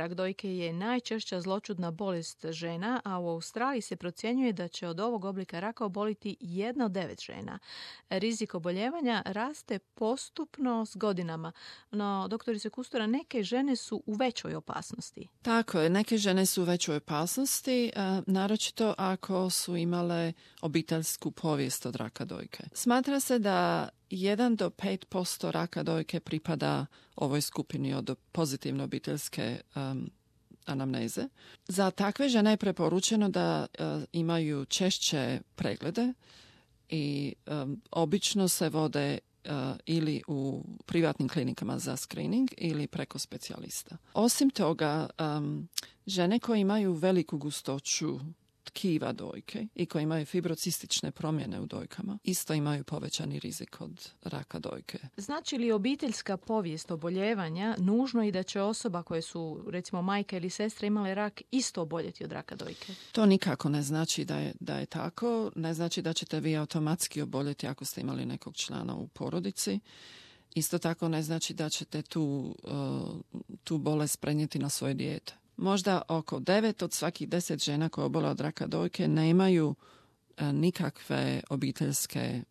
rak dojke je najčešća zloćudna bolest žena, a u Australiji se procjenjuje da će od ovog oblika raka oboliti 1 od 9 žena. Rizik oboljevanja raste postupno s godinama, no, doktorice Kustura, neke žene su u većoj opasnosti. Tako je, neke žene su u većoj opasnosti, naročito ako su imale obiteljsku povijest od raka dojke. Smatra se da 1 do 5% raka dojke pripada ovoj skupini od pozitivne obiteljske anamneze. Za takve žene je preporučeno da imaju češće preglede i obično se vode ili u privatnim klinikama za screening ili preko specijalista. Osim toga, žene koje imaju veliku gustoću tkiva dojke i koje imaju fibrocistične promjene u dojkama isto imaju povećani rizik od raka dojke. Znači li obiteljska povijest oboljevanja nužno i da će osoba koje su recimo majka ili sestra imale rak isto oboljeti od raka dojke? To nikako ne znači da je tako. Ne znači da ćete vi automatski oboljeti ako ste imali nekog člana u porodici. Isto tako ne znači da ćete tu bolest prenijeti na svoje dijete. Možda oko 9 od svakih 10 žena koje obole od raka dojke nemaju nikakve obiteljske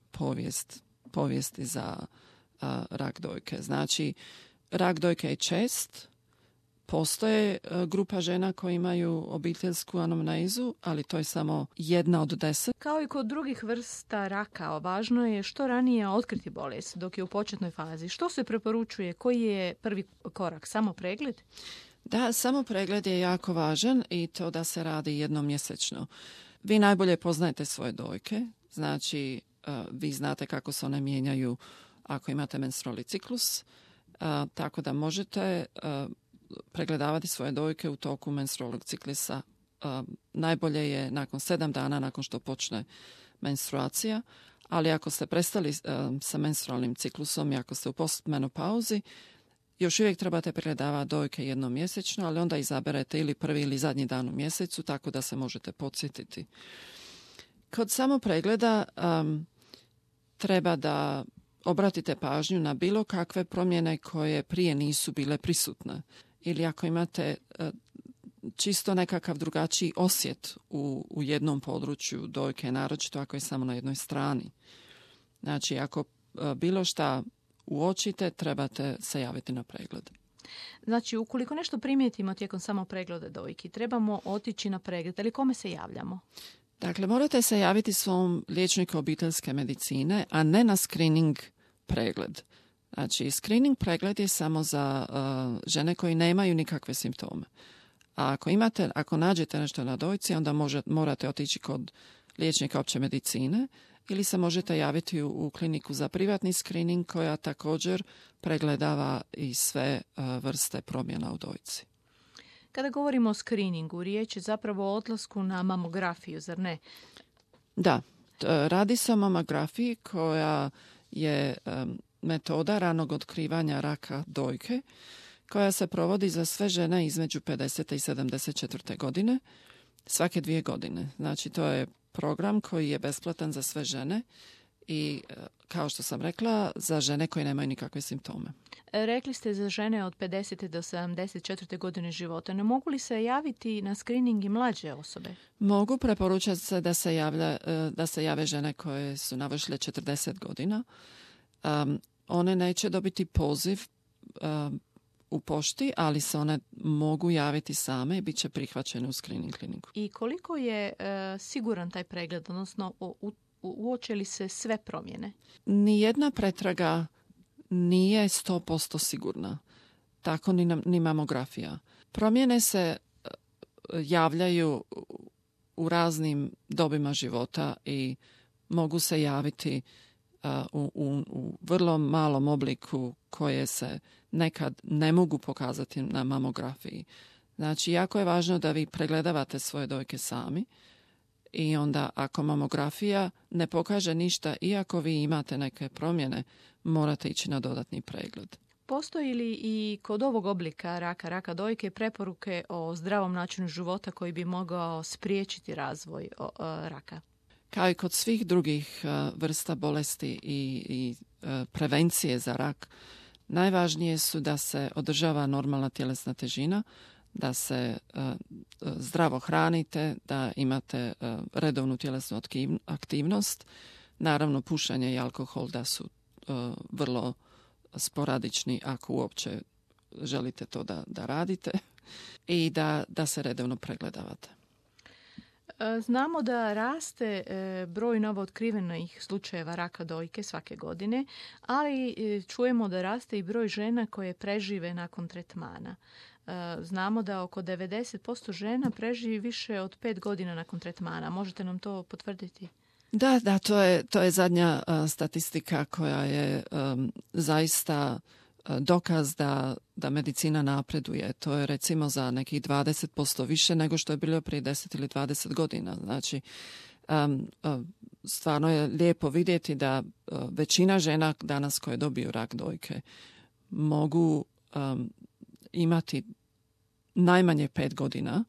povijesti za rak dojke. Znači, rak dojke je čest, postoje grupa žena koje imaju obiteljsku anamnezu, ali to je samo 1 od 10. Kao i kod drugih vrsta raka, važno je što ranije otkriti bolest dok je u početnoj fazi. Što se preporučuje? Koji je prvi korak? Samo pregled? Da, samo pregled je jako važan i to da se radi jednom mjesečno. Vi najbolje poznajete svoje dojke, znači vi znate kako se one mijenjaju ako imate menstrualni ciklus, tako da možete pregledavati svoje dojke u toku menstrualnog ciklusa. Najbolje je nakon 7 dana nakon što počne menstruacija, ali ako ste prestali sa menstrualnim ciklusom i ako ste u postmenopauzi, još uvijek trebate pregledavati dojke jednom mjesečno, ali onda izaberete ili prvi ili zadnji dan u mjesecu, tako da se možete podsjetiti. Kod samopregleda treba da obratite pažnju na bilo kakve promjene koje prije nisu bile prisutne. Ili ako imate čisto nekakav drugačiji osjet u jednom području dojke, naročito ako je samo na jednoj strani. Znači, ako bilo šta uočite, trebate se javiti na pregled. Znači, ukoliko nešto primijetimo tijekom samo pregleda dojki, trebamo otići na pregled, ali kome se javljamo? Dakle, morate se javiti svom liječniku obiteljske medicine, a ne na screening pregled. Znači, screening pregled je samo za žene koji nemaju nikakve simptome. A ako nađete nešto na dojci, onda morate otići kod liječnika opće medicine ili se možete javiti u kliniku za privatni screening koja također pregledava i sve vrste promjena u dojci. Kada govorimo o screeningu, riječ je zapravo o odlasku na mamografiju, zar ne? Da, radi se o mamografiji koja je metoda ranog otkrivanja raka dojke koja se provodi za sve žene između 50. i 74. godine svake 2 godine. Znači, to je program koji je besplatan za sve žene i, kao što sam rekla, za žene koje nemaju nikakve simptome. Rekli ste za žene od 50. do 74. godine života. Ne mogu li se javiti na screening i mlađe osobe? Mogu, preporučati se da se jave žene koje su navršile 40 godina. One neće dobiti poziv u pošti, ali se one mogu javiti same i bit će prihvaćene u screening kliniku. I koliko je siguran taj pregled, odnosno uoče li se sve promjene? Nijedna pretraga nije 100% sigurna. Tako ni mamografija. Promjene se javljaju u raznim dobima života i mogu se javiti u vrlo malom obliku koje se nekad ne mogu pokazati na mamografiji. Znači, jako je važno da vi pregledavate svoje dojke sami i onda ako mamografija ne pokaže ništa, iako vi imate neke promjene, morate ići na dodatni pregled. Postoji li i kod ovog oblika raka dojke, preporuke o zdravom načinu života koji bi mogao spriječiti razvoj raka? Kao i kod svih drugih vrsta bolesti i prevencije za rak, najvažnije su da se održava normalna tjelesna težina, da se zdravo hranite, da imate redovnu tjelesnu aktivnost. Naravno, pušenje i alkohol da su vrlo sporadični ako uopće želite to da radite i da se redovno pregledavate. Znamo da raste broj novootkrivenih slučajeva raka dojke svake godine, ali čujemo da raste i broj žena koje prežive nakon tretmana. Znamo da oko 90% žena preživi više od 5 godina nakon tretmana. Možete nam to potvrditi? Da, to je zadnja statistika koja je zaista dokaz da medicina napreduje. To je recimo za nekih 20% više nego što je bilo prije 10 ili 20 godina. Znači, stvarno je lijepo vidjeti da većina žena danas koje dobiju rak dojke mogu imati najmanje 5 godina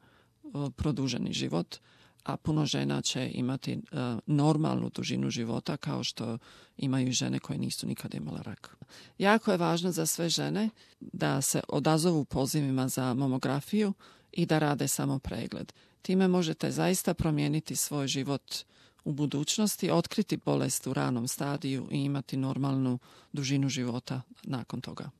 produženi život, a puno žena će imati normalnu dužinu života kao što imaju žene koje nisu nikada imale rak. Jako je važno za sve žene da se odazovu pozivima za mamografiju i da rade samo pregled. Time možete zaista promijeniti svoj život u budućnosti, otkriti bolest u ranom stadiju i imati normalnu dužinu života nakon toga.